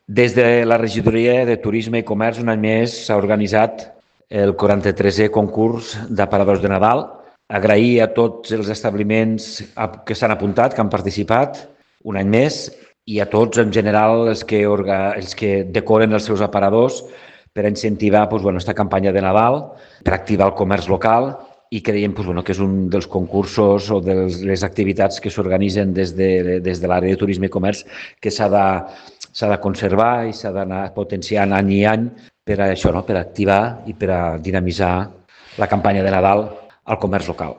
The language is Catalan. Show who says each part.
Speaker 1: Des de la Regidoria de Turisme i Comerç, un any més, s'ha organitzat el 43è concurs d'aparadors de Nadal. Agrair a tots els establiments que s'han apuntat, que han participat un any més, i a tots en general els que decoren els seus aparadors per incentivar aquesta campanya de Nadal, per activar el comerç local, i creiem que és un dels concursos o de les activitats que s'organitzen des de l'àrea de turisme i comerç que s'ha de conservar i s'ha d'anar potenciant any i any per a això, per activar i per a dinamitzar la campanya de Nadal al comerç local.